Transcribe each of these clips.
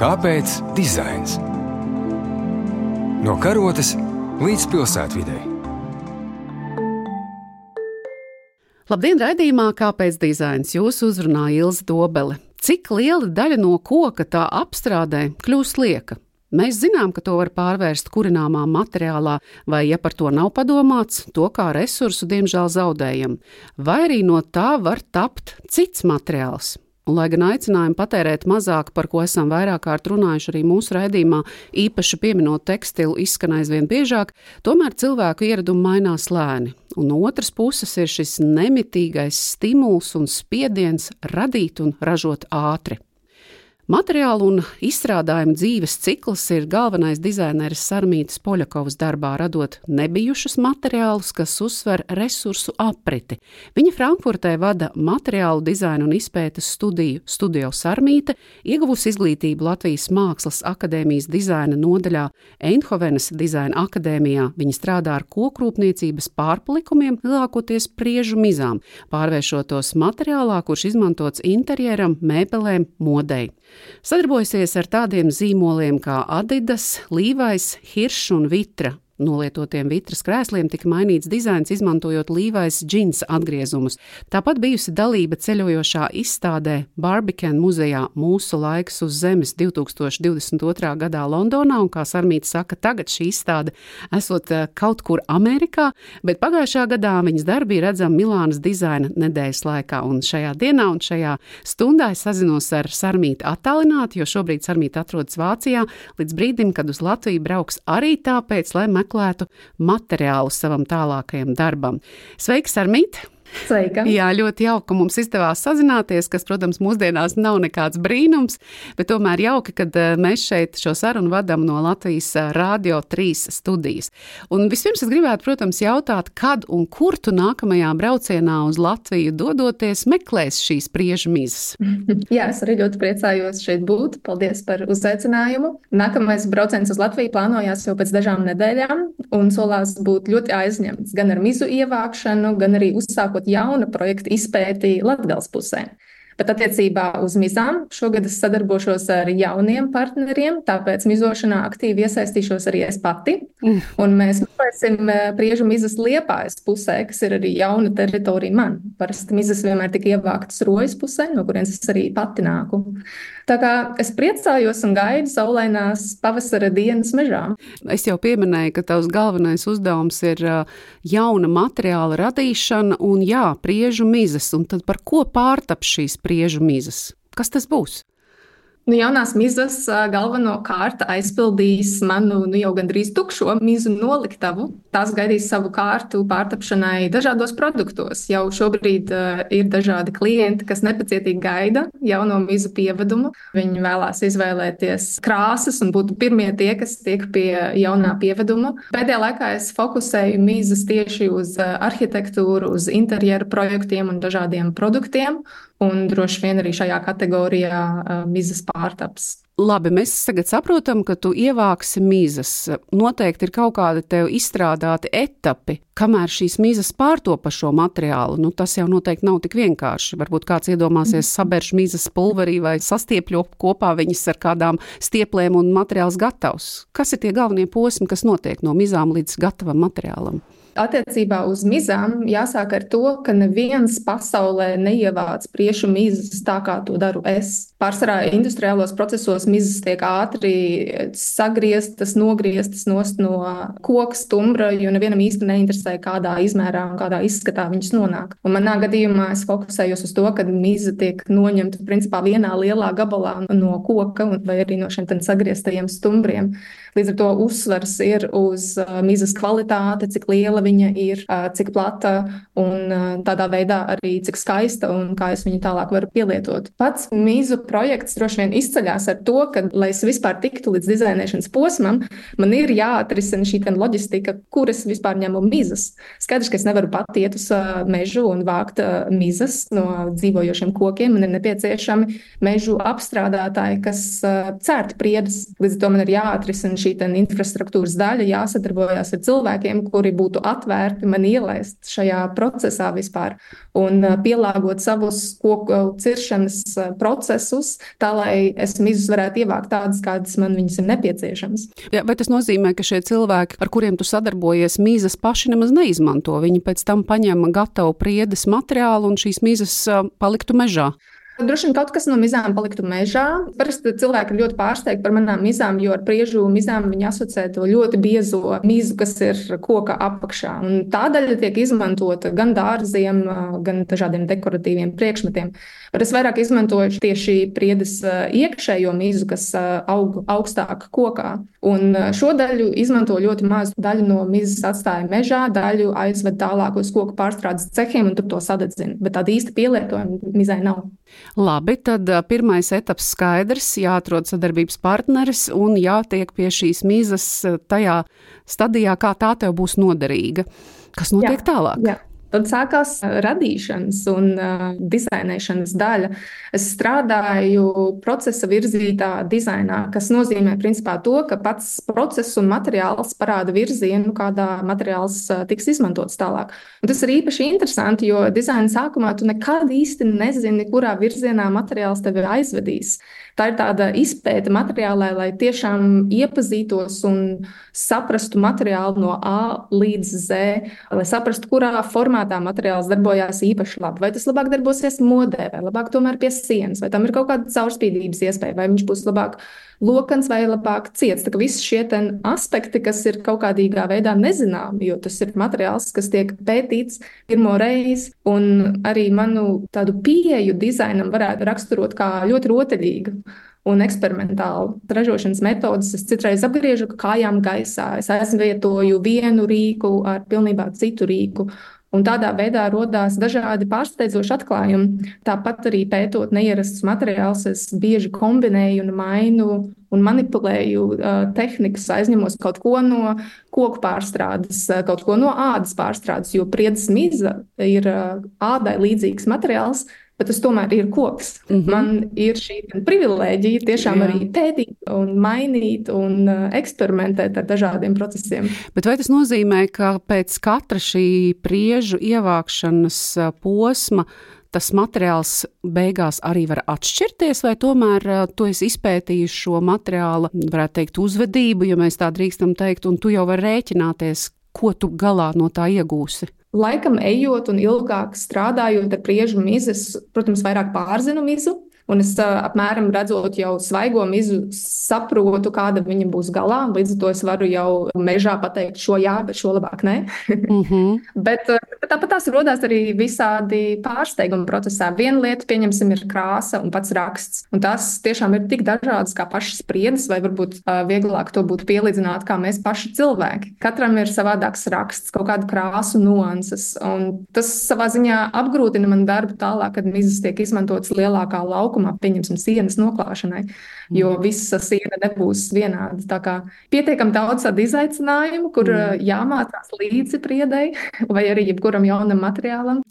Kāpēc dizains? No karotes līdz pilsētvidei. Labdien, raidījumā Kāpēc dizains? Jūs uzrunā Ilze Dobele. Cik liela daļa no koka tā apstrādē kļūst lieka? Mēs zinām, ka to var pārvērst kurināmā materiālā, vai, ja par to nav padomāts, to kā resursu diemžēl zaudējam. Vai arī no tā var tapt cits materiāls. Un, lai gan aicinājumu patērēt mazāk, par ko esam vairāk kārt runājuši arī mūsu raidījumā, īpaši pieminot tekstilu, izskan aizvien biežāk, tomēr cilvēku ieradumi mainās lēni. Un no otras puses ir šis nemitīgais stimuls un spiediens radīt un ražot ātri. Materiālu un izstrādājumu dzīves cikls ir galvenais dizaineris Sarmītas Poļakovas darbā, radot nebijušus materiālus, kas uzsver resursu apriti. Viņa Frankfurtē vada materiālu dizainu un izpētes studiju Studio Sarmīte, ieguvusi izglītību Latvijas Mākslas akadēmijas dizaina nodaļā Eindhovenas dizaina akadēmijā. Viņa strādā ar kokrūpniecības pārpalikumiem, lielākoties priežu mizām, pārvēršot tos materiālā, kurš izmantots interjeram, mēbelēm, modei. Sadarbojasies ar tādiem zīmoliem kā Adidas, Levi's, Hirsch un Vitra. Nolietotiem Vitras krēsliem tika mainīts dizains, izmantojot Levi's džinsa atgriezumus. Tāpat bijusi dalība ceļojošā izstādē Barbican muzejā Mūsu laiks uz zemes 2022. gadā Londonā, un, kā Sarmīta saka, tagad šī izstāde esot kaut kur Amerikā, bet pagājušā gadā viņas darbi ir redzami Milānas dizaina nedēļas laikā, un šajā dienā un šajā stundā es sazinos ar Sarmītu attālināti, jo šobrīd Sarmīta atrodas Vācijā, līdz brīdim, kad uz Latviju brauks arī tāpēc, lai meklētu materiālu savam tālākajam darbam. Sveiki, Sarmīta! Sveika! Jā, ļoti jauki, ka mums izdevās sazināties, kas, protams, mūsdienās nav nekāds brīnums, bet tomēr jauki, kad mēs šeit šo sarunu vadam no Latvijas Rādio 3 studijas. Un vispirms es gribētu, protams, jautāt, kad un kur tu nākamajā braucienā uz Latviju dodoties meklēs šīs priežu mizas? Jā, es arī ļoti priecājos šeit būt. Paldies par uzaicinājumu. Nākamais brauciens uz Latviju plānojās jau pēc dažām nedēļām un solās būt ļoti aizņemts gan ar mizu ievākšanu, gan arī uzsākot jauna projekta izpēti Latgales pusē. Bet attiecībā uz mizām šogad es sadarbošos ar jauniem partneriem, tāpēc mizošanā aktīvi iesaistīšos arī es pati. Un mēs meklēsim priežu mizas Liepājas pusē, kas ir arī jauna teritorija man. Parasti mizas vienmēr tika ievāktas Rojas pusē, no kurienes es arī pati nāku. Tā kā es priecājos un gaidu saulainās pavasara dienas mežā. Es jau pieminēju, ka tavs galvenais uzdevums ir jauna materiāla radīšana un priežu mizas. Un tad par ko pārtap šīs priežu mizas? Kas tas būs? Jaunās mizas galvenokārt aizpildīs manu jau gandrīz tukšo mizu noliktavu. Tās gaidīs savu kārtu pārtapšanai dažādos produktos. Jau šobrīd ir dažādi klienti, kas nepacietīgi gaida jauno mizu pievedumu. Viņi vēlās izvēlēties krāsas un būt pirmie tie, kas tiek pie jaunā pieveduma. Pēdējā laikā es fokusēju mizas tieši uz arhitektūru, uz interjeru projektiem un dažādiem produktiem. Un droši vien arī šajā kategorijā mizas pārtaps. Labi, mēs tagad saprotam, ka tu ievāksi mizas. Noteikti ir kaut kādi tev izstrādāti etapi, kamēr šīs mizas pārtopa šo materiālu. Tas jau noteikti nav tik vienkārši. Varbūt kāds iedomāsies sabērš mizas pulverī vai sastiepļo kopā viņas ar kādām stieplēm un materiāls gatavs. Kas ir tie galvenie posmi, kas notiek no mizām līdz gatavam materiālam? Attiecībā uz mizām jāsāk ar to, ka neviens pasaulē neievāc priežu mizas tā, kā to daru es. Pārsvarā industriālos procesos mizas tiek ātri sagrieztas, nogrieztas nost no koka stumbra, jo nevienam īsti neinteresē, kādā izmērā un kādā izskatā viņas nonāk. Un manā gadījumā es fokusējos uz to, ka miza tiek noņemta principā vienā lielā gabalā no koka vai arī no šiem sagrieztajiem stumbriem. Līdz ar to uzsvars ir uz mizas kvalitāti, cik liela viņa ir, cik plata un tādā veidā arī cik skaista un kā es viņu tālāk varu pielietot. Pats mizu projekts droši vien izceļās ar to, ka, lai es vispār tiktu līdz dizainēšanas posmam, man ir jāatrisina šī loģistika, kur es vispār ņemu mizas. Skaidrs, ka es nevaru pat iet uz mežu un vākt mizas no dzīvojošiem kokiem. Man ir nepieciešami mežu apstrādātāji, kas cērt priedes. Līdz ar to man ir jāatrisina šī infrastruktūras daļa, jāsadarbojās ar cilvēkiem, kuri būtu atvērti man ielaist šajā procesā vispār un pielāgot savus koku ciršanas procesus, tā lai es mizus varētu ievākt tādas, kādas man viņas ir nepieciešamas. Ja, vai tas nozīmē, ka šie cilvēki, ar kuriem tu sadarbojies, mizas paši nemaz neizmanto? Viņi pēc tam paņem gatavu priedes materiālu un šīs mizas paliktu mežā? Droši vien kaut kas no mizām paliktu mežā. Parasti cilvēki ir ļoti pārsteigti par manām mizām, jo ar priežu mizām viņi asociē to ļoti biezo mizu, kas ir koka apakšā. Un tā daļa tiek izmantota gan dārziem, gan dažādiem dekoratīviem priekšmetiem. Bet es vairāk izmantoju tieši priedes iekšējo mizu, kas aug augstāk kokā. Un šo daļu izmanto ļoti mazu daļu no mizas atstāja mežā, daļu aizved tālāk uz koku pārstrādes cehiem un tur to sadedzina. Bet tāda īsta pielietojuma mizai nav. Labi, tad pirmais etaps skaidrs, jāatrod sadarbības partneris un jātiek pie šīs mizas tajā stadijā, kā tā tev būs noderīga. Kas notiek tālāk? Jā. Tad sākās radīšanas un dizainēšanas daļa. Es strādāju procesa virzītā dizainā, kas nozīmē principā to, ka pats process un materiāls parāda virzienu, kādā materiāls tiks izmantots tālāk. Un tas ir īpaši interesanti, jo dizaina sākumā tu nekad īsti nezini, kurā virzienā materiāls tevi aizvedīs. Tā ir tāda izpēte materiālai, lai tiešām iepazītos un saprastu materiālu no A līdz Z, lai saprastu, kurā formātā materiāls darbojās īpaši labi. Vai tas labāk darbosies modē, vai labāk tomēr pie sienas, vai tam ir kaut kāda caurspīdības iespēja, vai viņš būs labāk lokans vai labāk ciets. Tā kā visi šie aspekti, kas ir kaut kādīgā veidā nezināmi, jo tas ir materiāls, kas tiek pētīts pirmo reizi, un arī manu tādu pieeju dizainam varētu raksturot kā ļoti rotaļīgu un eksperimentālu ražošanas metodas. Es citreiz apgriežu kājām gaisā, es aizvietoju vienu rīku ar pilnībā citu rīku. Un tādā veidā rodās dažādi pārsteidzoši atklājumi. Tāpat arī pētot neierastus materiālus, es bieži kombinēju un mainu un manipulēju tehnikas, aizņemos kaut ko no koku pārstrādes, kaut ko no ādas pārstrādes, jo priedes miza ir ādai līdzīgs materiāls, bet tas tomēr ir koks. Man ir šī privilēģija tiešām arī pētīt un mainīt un eksperimentēt ar dažādiem procesiem. Bet vai tas nozīmē, ka pēc katra šī priežu ievākšanas posma tas materiāls beigās arī var atšķirties, vai tomēr tu esi izpētījis šo materiāla, varētu teikt, uzvedību, ja mēs tā drīkstam teikt, un tu jau vari rēķināties, ko tu galā no tā iegūsi? Laikam ejot un ilgāk strādājot ar priežu mizu, es, protams, vairāk pārzinu mizu. Un es apmēram redzot jau svaigo mizu, saprotu, kāda viņa būs galā. Līdz ar to es varu jau mežā pateikt šo jā, bet šo labāk nē. Bet tāpat tās rodās arī visādi pārsteigumi procesā. Viena lieta, pieņemsim, ir krāsa un pats raksts. Un tās tiešām ir tik dažādas kā pašas priedes, vai varbūt vieglāk to būtu pielīdzināt kā mēs paši cilvēki. Katram ir savādāks raksts, kaut kāda krāsu nuanses. Un tas savā ziņā apgrūtina man darbu tālāk, kad mizas tiek izmantotas lielākā laukuma, pieņemsim, sienas noklāšanai, jo visa siena nebūs vienāda. Tā kā pietiekam daudz tādu izaicinājumu, kur jāmācās līdzi priedei vai arī jebkuram jaunam materiālam.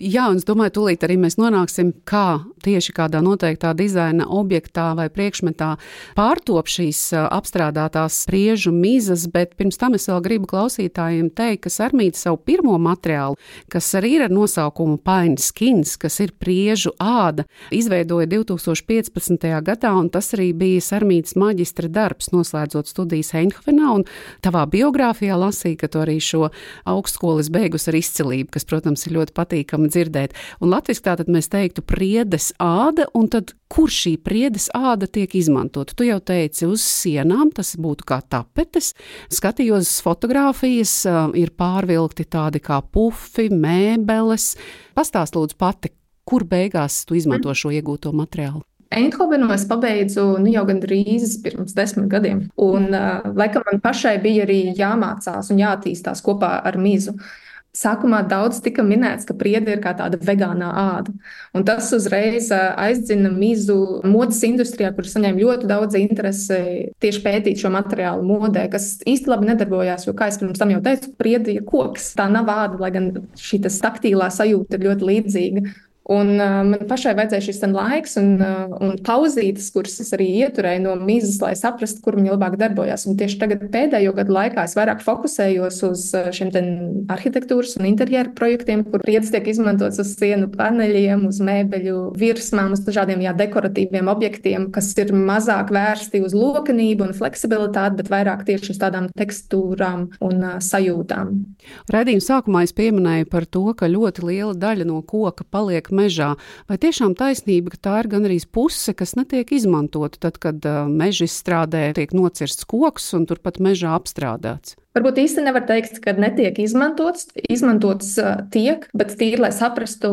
Jā, un es domāju, tūlīt arī mēs nonāksim, kā tieši kādā noteiktā dizaina objektā vai priekšmetā pārtop šīs apstrādātās priežu mizas, bet pirms tam es vēl gribu klausītājiem teikt, ka Sarmīte savu pirmo materiālu, kas arī ir ar nosaukumu Pine Skins, kas ir priežu āda, izveidoja 2015. gadā, un tas arī bija Sarmītes maģistra darbs, noslēdzot studijas Eindhovenā, un tavā biogrāfijā lasīja, ka tu arī šo augstskolas beigus ar izcilību, kas, protams, ir ļoti patīkami dzirdēt. Un latviski tātad mēs teiktu priedes āda, un tad kur šī priedes āda tiek izmantota? Tu jau teici uz sienām, tas būtu kā tapetes. Skatījos fotogrāfijas, ir pārvilkti tādi kā pufi, mēbeles. Pastāst lūdzu pati, kur beigās tu izmanto šo iegūto materiālu? Eindhovenu es pabeidzu jau gandrīz pirms 10 gadiem. Un laikam man pašai bija arī jāmācās un jāattīstās kopā ar mizu. Sākumā daudz tika minēts, ka priede ir kā tāda vegānā āda. Un tas uzreiz aizdzina mizu modes industrijā, kur saņēma ļoti daudz interesi tieši pētīt šo materiālu modē, kas īsti labi nedarbojās, jo, kā es pirms tam jau teicu, priede ir koks. Tā nav āda, lai gan šī taktīlā sajūta ir ļoti līdzīga. Un man pašai vajadzēja šis laiks un pauzītes, kuras es arī ieturēju no mizas, lai saprastu, kur viņa labāk darbojās. Un tieši tagad pēdējo gadu laikā es vairāk fokusējos uz šiem arhitektūras un interjeru projektiem, kur priedes tiek izmantots uz sienu paneļiem, uz mēbeļu virsmām, uz dažādiem dekoratīviem objektiem, kas ir mazāk vērsti uz lokanību un fleksibilitāti, bet vairāk tieši uz tādām tekstūrām un sajūtām. Raidījuma sākumā es pieminēju par to, ka ļoti liela daļa no koka paliek mežā. Vai tiešām taisnība, ka tā ir gan arī puse, kas netiek izmantota tad, kad meža izstrādē tiek nocirsts koks un turpat mežā apstrādāts? Varbūt īsti nevar teikt, ka netiek izmantots tiek, bet tīri, lai saprastu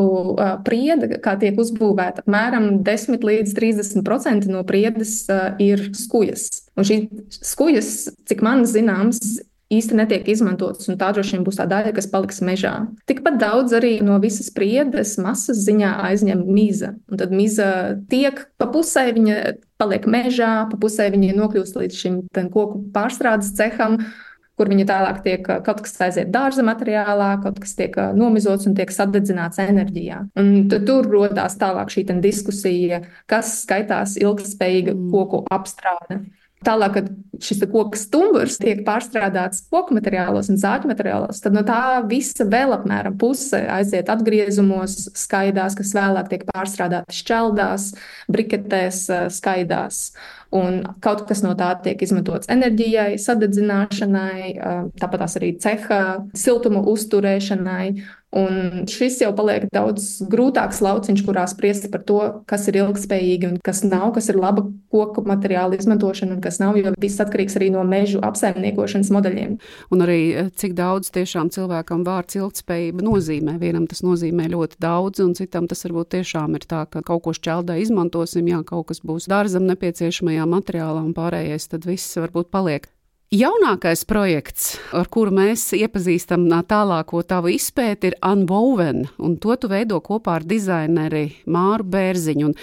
priede, kā tiek uzbūvēta, apmēram 10 līdz 30% no priedes ir skujas. Un šī skujas, cik man zināms, īsti netiek izmantotas, un tā droši vien būs tā daļa, kas paliks mežā. Tikpat daudz arī no visas priedes masas ziņā aizņem miza. Un tad miza tiek pa pusē, viņa paliek mežā, pa pusē viņa nokļūst līdz šim koku pārstrādes ceham, kur viņa tālāk tiek, kaut kas aiziet dārza materiālā, kaut kas tiek nomizots un tiek sadedzināts enerģijā. Un tur rodās tālāk šī diskusija, kas skaitās ilgtspējīga koku apstrāde. Tālāk, kad šis koka stumbrs tiek pārstrādāts koku materiālos un zāģu materiālos, tad no tā visa vēl apmēram puse aiziet atgriezumos, skaidās, kas vēlāk tiek pārstrādāti šķeldās, briketēs, skaidās. Un kaut kas no tā tiek izmantots enerģijai, sadedzināšanai, tāpat arī ceha siltuma uzturēšanai. Un šis jau paliek daudz grūtāks lauciņš, kurā spriest par to, kas ir ilgspējīgi un kas nav, kas ir laba koku materiāla izmantošana un kas nav, jo viss atkarīgs arī no mežu apsaimniekošanas modeļiem. Un arī cik daudz tiešām cilvēkam vārds ilgtspējība nozīmē. Vienam tas nozīmē ļoti daudz, un citam tas varbūt tiešām ir tā, ka kaut ko šķeldē izmantosim, jā, kaut kas būs dārzam nepieciešamajā materiālā un pārējais tad viss varbūt paliek. Jaunākais projekts, ar kuru mēs iepazīstam tālāko tavu izpēti, ir Unwoven, un to tu veido kopā ar dizaineri Māru Bērziņu. Un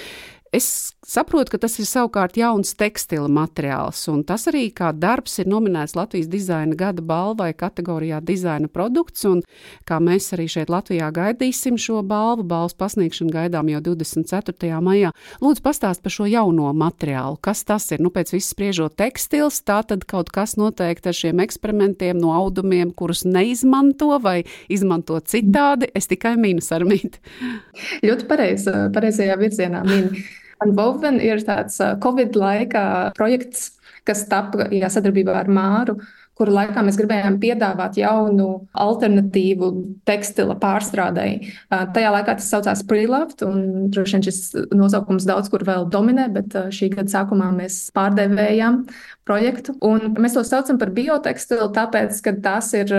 es saprotu, ka tas ir savukārt jauns tekstila materiāls, un tas arī kā darbs ir nominēts Latvijas dizaina gada balvai kategorijā dizaina produkts, un kā mēs arī šeit Latvijā gaidīsim šo balvu, balvas pasniegšanu gaidām jau 24. maijā. Lūdzu, pastāst par šo jauno materiālu. Kas tas ir? Nu, pēc viss spriežot tekstils, tā tad kaut kas noteikti ar šiem eksperimentiem no audumiem, kurus neizmanto vai izmanto citādi. Es tikai minu, Sarmīt. Ļoti pareizajā virzienā minu. Unwoven ir tāds Covid laika projekts, kas tapa sadarbībā ar Māru, kuru laikā mēs gribējām piedāvāt jaunu alternatīvu tekstila pārstrādei. Tajā laikā tas saucās Preloved, un droši vien šis nosaukums daudz kur vēl dominē, bet šī gada sākumā mēs pārdevējām projektu. Un mēs to saucam par biotekstilu, tāpēc, ka tās ir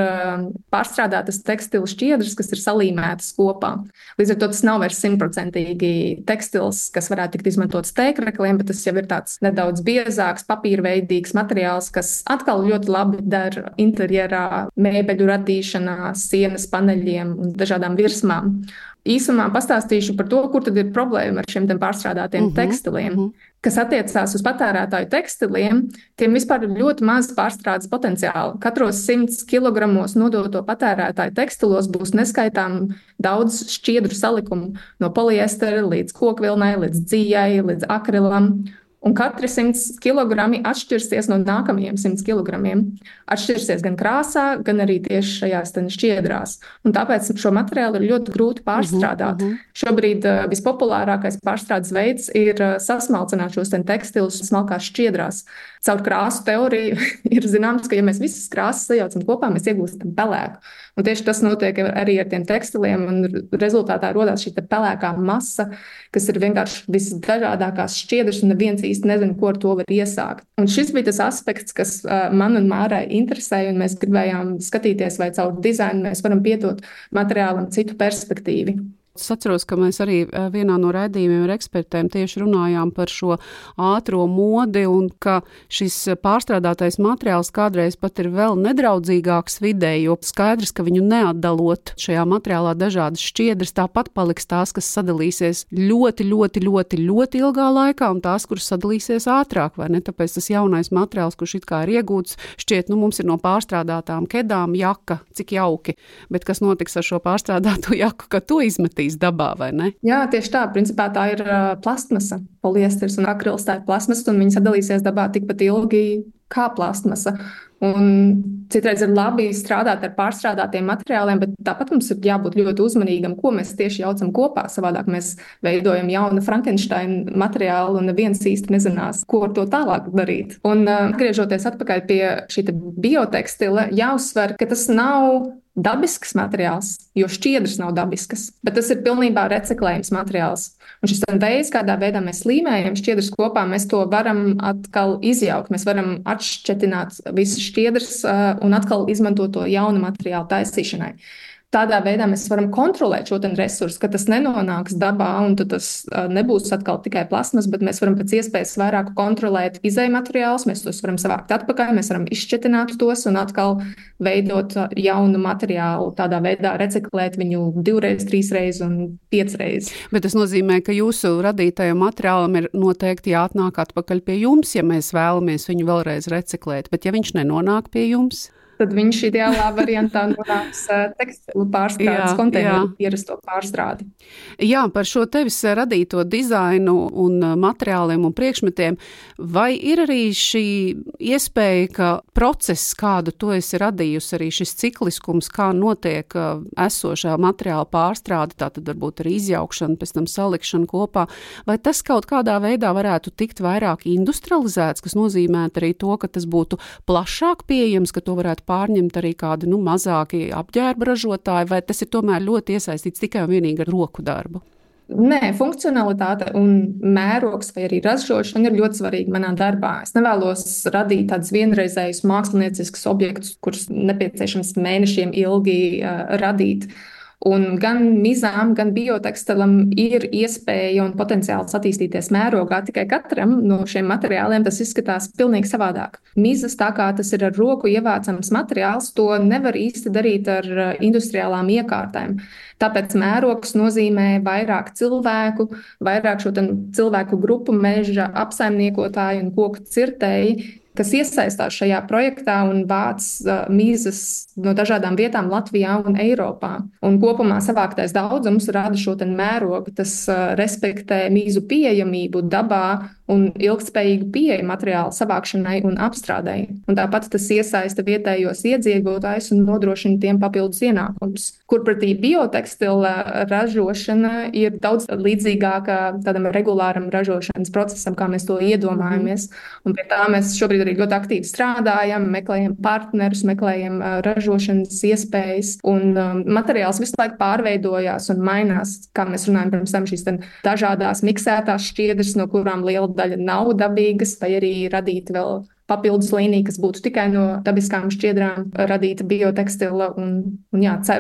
pārstrādātas tekstilu šķiedras, kas ir salīmētas kopā. Līdz ar to tas nav vairs 100% tekstils, kas varētu tikt izmantots tēkrekliem, bet tas jau ir tāds nedaudz biezāks, papīrveidīgs materiāls, kas atkal ļoti labi der interjerā, mēbeļu radīšanā, sienas paneļiem un dažādām virsmām. Īsumā pastāstīšu par to, kur tad ir problēma ar šiem pārstrādātiem tekstiliem. Kas attiecās uz patērētāju tekstiliem, tiem vispār ir ļoti maz pārstrādes potenciāli. Katros 100 kilogramos nodoto patērētāju tekstilos būs neskaitām daudz šķiedru salikumu, no poliestera līdz kokvilnai, līdz dzijai, līdz akrilam. Un katri 100 kilogrami atšķirsies no nākamajiem 100 kilogramiem. Atšķirsies gan krāsā, gan arī tieši šajās šķiedrās. Un tāpēc šo materiālu ir ļoti grūti pārstrādāt. Šobrīd vispopulārākais pārstrādes veids ir sasmalcināt šos tekstilus smalkās šķiedrās. Caur krāsu teoriju ir zināms, ka ja mēs visas krāsas sajaucam kopā, mēs iegūstam pelēku. Un tieši tas notiek arī ar tiem tekstiliem, un rezultātā rodās šī pelēkā masa, kas ir vienkārši visdažādākās šķiedras, un neviens īsti nezina, ko ar to var iesākt. Un šis bija tas aspekts, kas man un Mārai interesēja, un mēs gribējām skatīties, vai caur dizainu mēs varam piedot materiālam citu perspektīvu. Es atceros, ka mēs arī vienā no raidījumiem ar ekspertiem tieši runājām par šo ātro modi un ka šis pārstrādātais materiāls kādreiz pat ir vēl nedraudzīgāks videi, jo skaidrs, ka viņu neatdalot šajā materiālā dažādas šķiedras, tāpat paliks tās, kas sadalīsies ļoti ilgā laikā un tās, kuras sadalīsies ātrāk, vai ne? Tāpēc tas jaunais materiāls, kurš it kā ir iegūts, šķiet, mums ir no pārstrādātām kedām jaka, cik jauki, bet kas notiks ar šo pārstrādāto jaku, kad to izmetīs? emisijas dabā, vai ne? Jā, tieši tā. Principā tā ir plastmasa, poliesters un akrils. Tā ir plastmasa, un viņi sadalīsies dabā tikpat ilgi kā plastmasa. Un citreiz ir labi strādāt ar pārstrādātiem materiāliem, bet tāpat mums ir jābūt ļoti uzmanīgam, ko mēs tieši jaucam kopā. Savādāk mēs veidojam jaunu Frankensteina materiālu, un neviens īsti nezinās, ko ar to tālāk darīt. Un atgriežoties atpakaļ pie šī biotekstila, jāuzsver, ka tas nav dabisks materiāls, jo šķiedras nav dabiskas, bet tas ir pilnībā reciklējams materiāls. Un šis veids, kādā veidā mēs līmējam šķiedras kopā, mēs to varam atkal izjaukt. Mēs varam atšķetināt visas šķiedras un atkal izmantot to jaunu materiālu taisīšanai. Tādā veidā mēs varam kontrolēt šo resursu, ka tas nenonāks dabā, un tas nebūs atkal tikai plasmas, bet mēs varam pēc iespējas vairāk kontrolēt izejmateriālus, mēs tos varam savākt atpakaļ, mēs varam izšķetināt tos un atkal veidot jaunu materiālu, tādā veidā reciklēt viņu 2, 3 un 5 reizes. Bet tas nozīmē, ka jūsu radītajam materiālam ir noteikti jāatnāk atpakaļ pie jums, ja mēs vēlamies viņu vēlreiz reciklēt, bet ja viņš nenonāk pie jums? Tad viņš ideālā variantā nonāks tekstilu pārstrādes konteineru ierasto pārstrādi. Jā, par šo tevis radīto dizainu un materiāliem un priekšmetiem, vai ir arī šī iespēja, ka process, kādu tu esi radījusi, arī šis cikliskums, kā notiek esošā materiāla pārstrāde, tātad varbūt arī izjaukšana, pēc tam salikšana kopā, vai tas kaut kādā veidā varētu tikt vairāk industrializēts, kas nozīmē arī to, ka tas būtu plašāk pieejams, ka to varētu pārņemt arī kādi mazāki apģērba ražotāji, vai tas ir tomēr ļoti iesaistīts tikai un vienīgi ar roku darbu? Nē, funkcionalitāte un mērogs vai arī ražošana ir ļoti svarīga manā darbā. Es nevēlos radīt tādus vienreizējus mākslinieciskus objektus, kurus nepieciešams mēnešiem ilgi radīt. Un gan mizām, gan biotekstilam ir iespēja un potenciāls attīstīties mērogā. Tikai katram no šiem materiāliem tas izskatās pilnīgi savādāk. Mizas, tā kā tas ir ar roku ievācams materiāls, to nevar īsti darīt ar industriālām iekārtēm. Tāpēc mērogs nozīmē vairāk cilvēku, vairāk šo cilvēku grupu, meža apsaimniekotāju un koku cirtēji, kas iesaistās šajā projektā un vāc mizas no dažādām vietām Latvijā un Eiropā. Un kopumā savāktais daudzums rada šo mērogu, tas respektē mizu pieejamību dabā un ilgtspējīgu pieeju materiālu savākšanai un apstrādei. Un tāpat tas iesaista vietējos iedzīvotājus un nodrošina tiem papildus ienākumus. Kurpretī biotekstila ražošana ir daudz līdzīgāka tādam regulāram ražošanas procesam, kā mēs to iedomājamies. Un pie tā mēs šobrīd arī ļoti aktīvi strādājam, meklējam partnerus, meklējam ražošanas iespējas. Un materiāls visu laiku pārveidojās un mainās, kā mēs runājam pirms tam, šīs dažādās miksētās šķiedras, no kurām liela daļa nav dabīgas, vai arī radīt vēl papildus līnija, kas būtu tikai no dabiskām šķiedrām radīta biotekstila.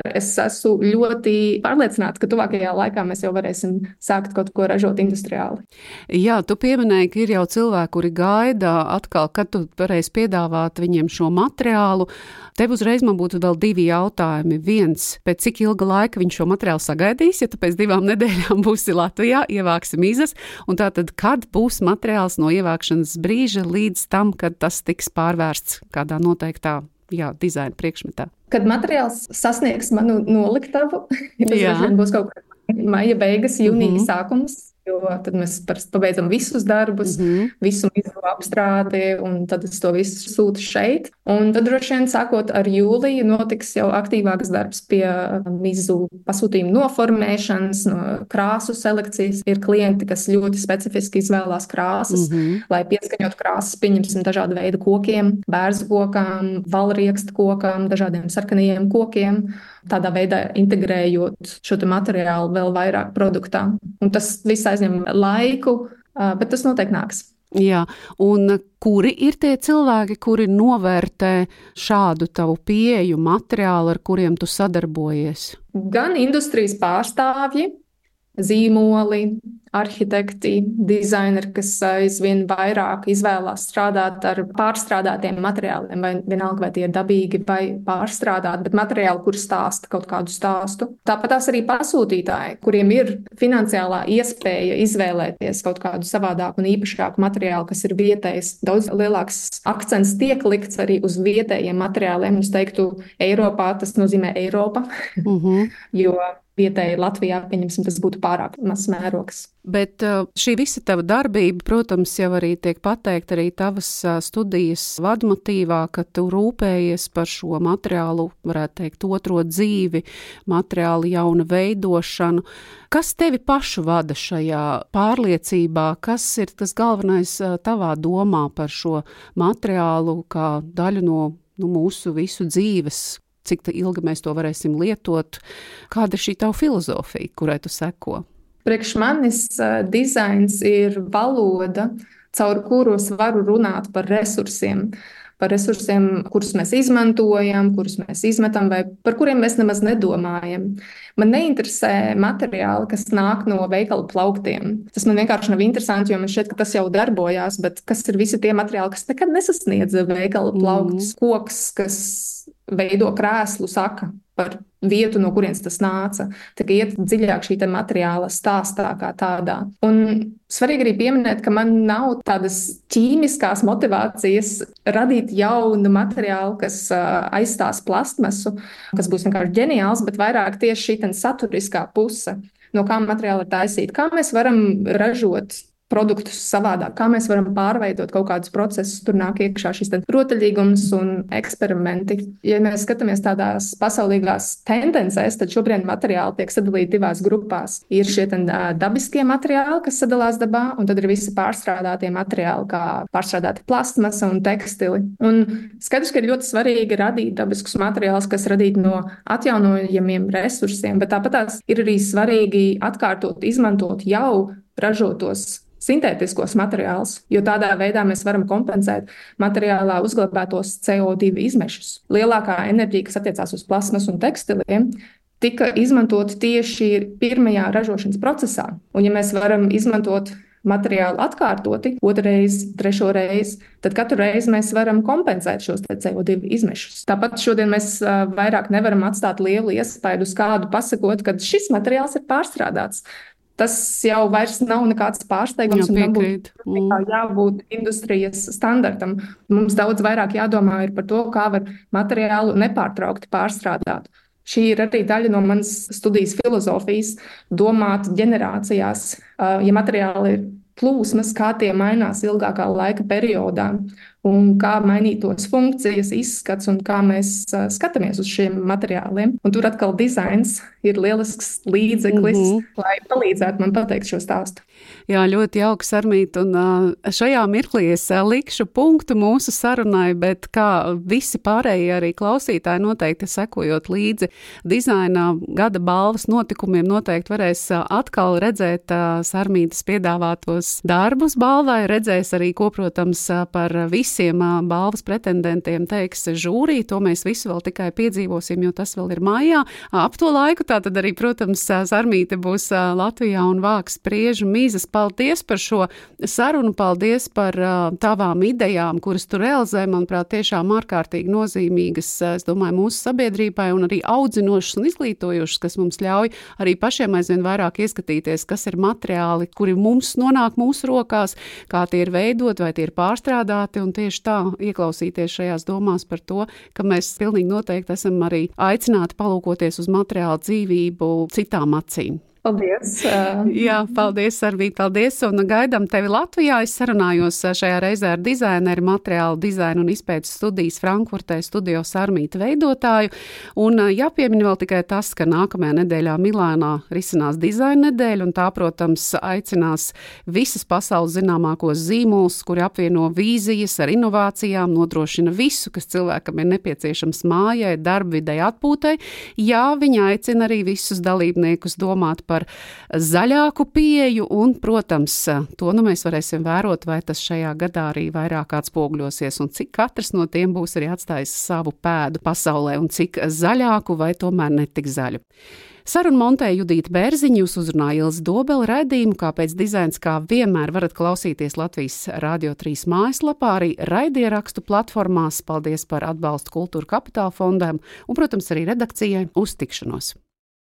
Es esmu ļoti pārliecināta, ka tuvākajā laikā mēs jau varēsim sākt kaut ko ražot industriāli. Jā, tu pieminēji, ka ir jau cilvēki, kuri gaida atkal, kad tu varēsi piedāvāt viņiem šo materiālu. Tev uzreiz man būtu vēl 2 jautājumi. Viens, pēc cik ilga laika viņš šo materiālu sagaidīs, ja tu pēc 2 nedēļām būsi Latvijā, ievāksi mizas, un tātad, kad būs materiāls no ievākšanas brīža līdz tam, kad tas tiks pārvērsts kādā noteiktā dizaina priekšmetā? Kad materiāls sasniegs manu noliktavu, tas būs kaut kā maija beigas, jūnija sākums, jo tad mēs pabeidzam visus darbus, visu mizu apstrādi, un tad es to visu sūtu šeit. Un tad droši vien sākot ar jūliju notiks jau aktīvāks darbs pie mizu pasūtījumu noformēšanas, no krāsu selekcijas. Ir klienti, kas ļoti specifiski izvēlās krāsas, lai pieskaņot krāsas, pieņemsim dažādu veidu kokiem, bērzu kokām, valriekstu kokām, dažādiem sarkanajiem kokiem. Tādā veidā integrējot šo materiālu vēl vairāk produktā. Un tas viss aizņem laiku, bet tas noteikti nāks. Jā, un kuri ir tie cilvēki, kuri novērtē šādu tavu pieeju materiālu, ar kuriem tu sadarbojies? Gan industrijas pārstāvji, zīmoli, arhitekti, dizaineri, kas aizvien vairāk izvēlās strādāt ar pārstrādātiem materiāliem, vai vienalga, vai tie ir dabīgi vai pārstrādāti, bet materiāli, kur stāsta kaut kādu stāstu. Tāpat tās arī pasūtītāji, kuriem ir finansiālā iespēja izvēlēties kaut kādu savādāku un īpašāku materiālu, kas ir vietējs. Daudz lielāks akcents tiek likts arī uz vietējiem materiāliem. Es teiktu, Eiropā tas nozīmē Eiropa, jo vietēji Latvijā, pieņemsim, tas būtu pārāk mazs mērogs. Bet šī visa tava darbība, protams, jau arī tiek pateikt arī tavas studijas vadmotīvā, ka tu rūpējies par šo materiālu, varētu teikt, otro dzīvi, materiālu jauna veidošanu. Kas tevi pašu vada šajā pārliecībā? Kas ir tas galvenais tavā domā par šo materiālu kā daļu no mūsu visu dzīves? Cik ilgi mēs to varēsim lietot? Kāda ir šī tava filozofija, kurai tu seko? Priekš manis dizains ir valoda, caur kuru es varu runāt par resursiem, kurus mēs izmantojam, kurus mēs izmetam vai par kuriem mēs nemaz nedomājam. Man neinteresē materiāli, kas nāk no veikala plauktiem. Tas man vienkārši nav interesanti, jo man šķiet, ka tas jau darbojās, bet kas ir visi tie materiāli, kas nekad nesasniedz veikala plauktus, koks, kas veido krēslu, saka par vietu, no kurienes tas nāca. Tā kā iet dziļāk šī materiāla stāstā kā tādā. Un svarīgi arī pieminēt, ka man nav tādas ķīmiskās motivācijas radīt jaunu materiālu, kas aizstās plastmasu, kas būs vienkārši ģeniāls, bet vairāk tieši šī saturiskā puse, no kā materiāla ir taisīta. Kā mēs varam ražot produktus savādāk, kā mēs varam pārveidot kaut kādus procesus, tur nāk iekšā šis rotaļīgums un eksperimenti. Ja mēs skatāmies tādās pasaulīgās tendencēs, tad šobrīd materiāli tiek sadalīti divās grupās. Ir šie dabiskie materiāli, kas sadalās dabā, un tad ir visi pārstrādātie materiāli, kā pārstrādāti plastmasa un tekstili. Un skaidrs, ka ir ļoti svarīgi radīt dabiskus materiālus, kas radīti no atjaunojamiem resursiem, bet tāpatās ir arī svarīgi atkārtot, izmantot jau ražotos sintētiskos materiālus, jo tādā veidā mēs varam kompensēt materiālā uzglabātos CO2 izmešus. Lielākā enerģija, kas attiecās uz plasmasu un tekstiliem, tika izmantot tieši pirmajā ražošanas procesā. Un ja mēs varam izmantot materiālu atkārtoti, otrreiz, trešoreiz, tad katru reizi mēs varam kompensēt šos CO2 izmešus. Tāpat šodien mēs vairāk nevaram atstāt lielu iespaidu uz kādu pasakot, ka šis materiāls ir pārstrādāts. Tas jau vairs nav nekāds pārsteigums un nebūtu jābūt industrijas standartam. Mums daudz vairāk jādomā ir par to, kā var materiālu nepārtraukti pārstrādāt. Šī ir arī daļa no manas studijas filozofijas, domāt ģenerācijās. Ja materiāli ir plūsmas, kā tie mainās ilgākā laika periodā un kā mainītos funkcijas, izskats un kā mēs skatāmies uz šiem materiāliem. Un tur atkal dizains ir lielisks līdzeklis, lai palīdzētu man pateikt šo stāstu. Jā, ļoti jauks, Sarmīt, un šajā mirklī es likšu punktu mūsu sarunai, bet kā visi pārējie arī klausītāji noteikti sekojot līdzi dizaina gada balvas notikumiem, noteikti varēs atkal redzēt Sarmītas piedāvātos darbus balvai, redzēs arī, ko, protams, par visiem balvas pretendentiem teiks žūrī, to mēs visu vēl tikai piedzīvosim, jo tas vēl ir mājā. Ap to laiku tātad arī, protams, Sarmīte būs Latvijā un vāks spriežu mizas. Paldies par šo sarunu, paldies par tavām idejām, kuras tu realizē, manuprāt, tiešām ārkārtīgi nozīmīgas, es domāju, mūsu sabiedrībai un arī audzinošas un izglītojušas, kas mums ļauj arī pašiem aizvien vairāk ieskatīties, kas ir materiāli, kuri mums nonāk mūsu rokās, kā tie ir veidot, vai tie ir pārstrādāti, un tieši tā ieklausīties šajās domās par to, ka mēs pilnīgi noteikti esam arī aicināti palūkoties uz materiālu dzīvību citām acīm. Paldies! Jā, paldies, Sarmīt, paldies, un gaidām tevi Latvijā. Es sarunājos šajā reizē ar dizaineru, materiālu dizainu un izpētes studijas Frankfurtē studio Sarmīta veidotāju. Un jāpiemina vēl tikai tas, ka nākamajā nedēļā Milānā risinās dizaina nedēļa, un tā, protams, aicinās visas pasaules zināmākos zīmolus, kuri apvieno vīzijas ar inovācijām, nodrošina visu, kas cilvēkam ir nepieciešams mājai, darbvidei, atpūtai. Jā, viņa aicina arī visus dalībniekus domāt par zaļāku pieeju un, protams, to mēs varēsim vērot, vai tas šajā gadā arī vairāk atspoguļosies un cik katrs no tiem būs arī atstājis savu pēdu pasaulē un cik zaļāku vai tomēr netik zaļu. Sarunu montēja Judīta Bērziņa, jūs uzrunāja Ilze Dobele, raidījumu Kāpēc dizains, kā vienmēr varat klausīties Latvijas Radio 3 mājaslapā, arī raidierakstu platformās. Paldies par atbalstu Kultūra Kapitāla fondam un, protams, arī redakcijai. Uz tikšanos!